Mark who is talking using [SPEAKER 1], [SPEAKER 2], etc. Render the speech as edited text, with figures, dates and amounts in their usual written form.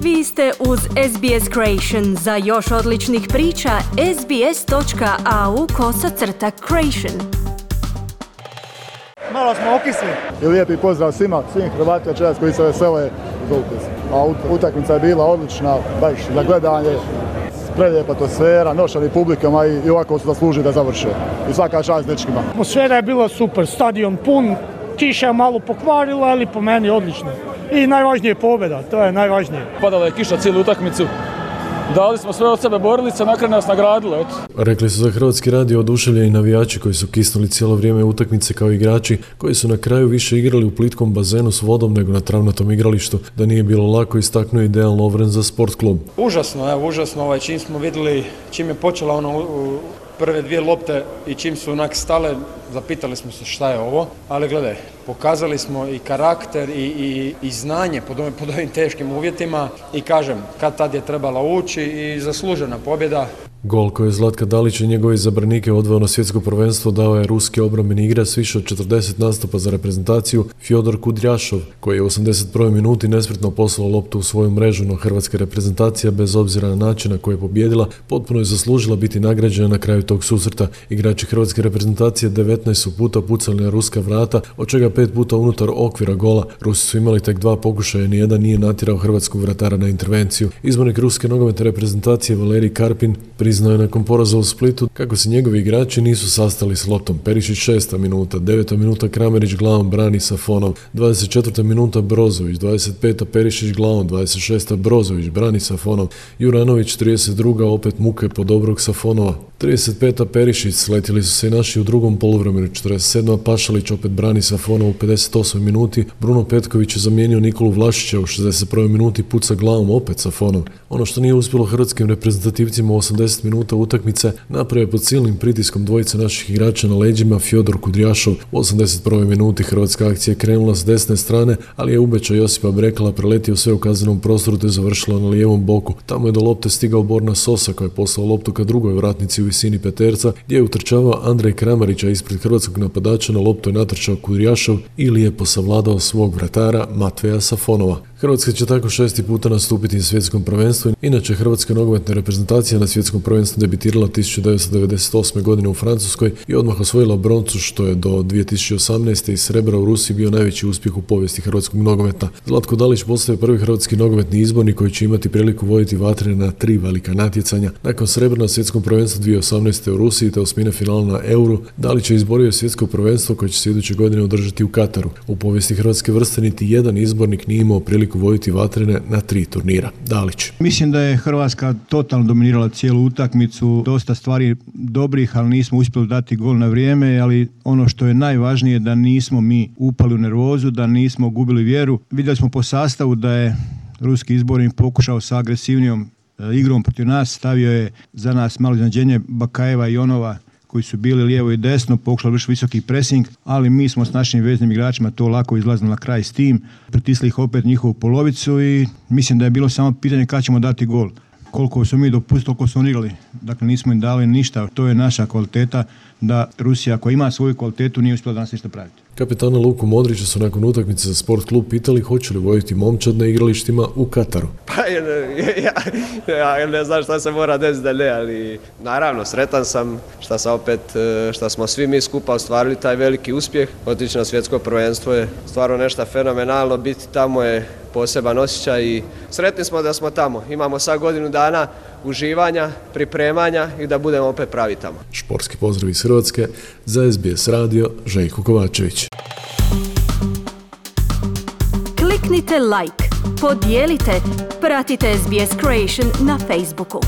[SPEAKER 1] Vi ste uz SBS Creation. Za još odličnih priča, sbs.au/creation.
[SPEAKER 2] Malo smo okisli.
[SPEAKER 3] I lijepi pozdrav svim Hrvatima večeras koji se vesele uz upis. A utakmica je bila odlična, baš za gledanje, prelijepa atmosfera, nošali publikama i ovako su zaslužili da završe. I svaka čast dečkima.
[SPEAKER 2] Atmosfera je bila super, stadion pun, kiša je malo pokvarila, ali po meni odlično. I najvažnije je pobjeda, to je najvažnije.
[SPEAKER 4] Padala je kiša cijelu utakmicu. Dali smo sve od sebe, borili se, na kraju nas nagradilo.
[SPEAKER 5] Rekli su za Hrvatski radio oduševljeni navijači koji su kisnuli cijelo vrijeme utakmice kao igrači koji su na kraju više igrali u plitkom bazenu s vodom nego na travnatom igralištu. Da nije bilo lako, istaknuo i Dejan Lovren za Sport klub.
[SPEAKER 6] Užasno, čim smo vidjeli, čim je počela prve dvije lopte i čim su onak stale, zapitali smo se šta je ovo, ali gledaj, pokazali smo i karakter i znanje pod ovim teškim uvjetima i kažem, kad tad je trebala ući i zaslužena pobjeda.
[SPEAKER 5] Gol koji je Zlatka Dalić i njegovi zabranike odveo na svjetsko prvenstvo dao je ruski obrambeni igrač s više od 40 nastupa za reprezentaciju Fjodor Kudrjašov, koji je u 81. minuti nespretno poslao loptu u svoju mrežu, no hrvatska reprezentacija, bez obzira na način na koji je pobijedila, potpuno je zaslužila biti nagrađena na kraju tog susreta. Igrači hrvatske reprezentacije 19 su puta pucali na ruska vrata, od čega 5 puta unutar okvira gola. Rusi su imali tek 2 pokušaja i nijedan nije natjerao hrvatskog vratara na intervenciju. Izbornik ruske nogometne reprezentacije Valerij Karpin priznao je nakon poraza u Splitu kako se njegovi igrači nisu sastali s loptom. Perišić 6. minuta, 9. minuta Kramarić glavom brani Safonov, 24. minuta Brozović, 25. Perišić glavom, 26. Brozović brani Safonov, Juranović 32. opet muke po dobrog Safonova, 35. Perišić, sletili su se i naši u drugom poluvremenu, 47. Pašalić opet brani Safonov u 58. minuti, Bruno Petković je zamijenio Nikolu Vlašića u 61. minuti, puca glavom opet Safonov. Ono što nije uspjelo hrvatskim reprezentativcima u 80 minuta utakmice napravio je pod silnim pritiskom dvojice naših igrača na leđima Fjodor Kudrjašov. U 81. minuti hrvatska akcija je krenula s desne strane, ali je ubeća Josipa Brekala preletio sve u kaznenom prostoru te završila na lijevom boku. Tamo je do lopte stigao Borna Sosa koji je poslao loptu ka drugoj vratnici u visini peterca, gdje je utrčavao Andrej Kramarić, a ispred hrvatskog napadača na loptu je natrčao Kudrjašov i lijepo savladao svog vratara Matveja Safonova. Hrvatska će tako 6. puta nastupiti na svjetskom prvenstvu. Inače, hrvatska nogometna reprezentacija na svjetskom prvenstvu debitirala 1998. godine u Francuskoj i odmah osvojila broncu, što je do 2018. i srebra u Rusiji bio najveći uspjeh u povijesti hrvatskog nogometa. Zlatko Dalić postaje prvi hrvatski nogometni izbornik koji će imati priliku voditi vatrene na 3 velika natjecanja. Nakon srebra na svjetskom prvenstvu 2018. u Rusiji te osmine finala na Euru, Dalić je izborio svjetsko prvenstvo koje će se iduće godine održati u Kataru. U povijesti hrvatske vrste niti jedan izbornik nije imao priliku voditi vatrene na 3 turnira. Dalić.
[SPEAKER 7] Mislim da je Hrvatska totalno dominirala cijelu utakmicu, dosta stvari dobrih, ali nismo uspjeli dati gol na vrijeme, ali ono što je najvažnije da nismo mi upali u nervozu, da nismo gubili vjeru. Vidjeli smo po sastavu da je ruski izbornik pokušao sa agresivnijom igrom protiv nas, stavio je za nas malo iznenađenje Bakajeva i Onova koji su bili lijevo i desno, pokušali vršiti visoki pressing, ali mi smo s našim veznim igračima to lako izlazili na kraj s tim, pritisli ih opet njihovu polovicu i mislim da je bilo samo pitanje kada ćemo dati gol. Koliko su mi dopustili, koliko su oni igrali. Dakle, nismo im dali ništa. To je naša kvaliteta, da Rusija koja ima svoju kvalitetu nije uspjela danas ništa praviti.
[SPEAKER 5] Kapetana Luku Modrića su nakon utakmice za Sport klub pitali hoće li voditi momčad na igralištima u Kataru.
[SPEAKER 8] Pa ja ne znam šta se mora desiti da ne, ali naravno sretan sam šta smo svi mi skupa ostvarili taj veliki uspjeh. Otići na svjetsko prvenstvo je stvarno nešto fenomenalno, biti tamo je poseban osjećaj i sretni smo da smo tamo. Imamo sad godinu dana uživanja, pripremanja i da budemo opet pravi tamo.
[SPEAKER 5] Športski pozdrav iz Hrvatske, za SBS radio Željko Kovačević.
[SPEAKER 1] Kliknite like, podijelite, pratite SBS Creation na Facebooku.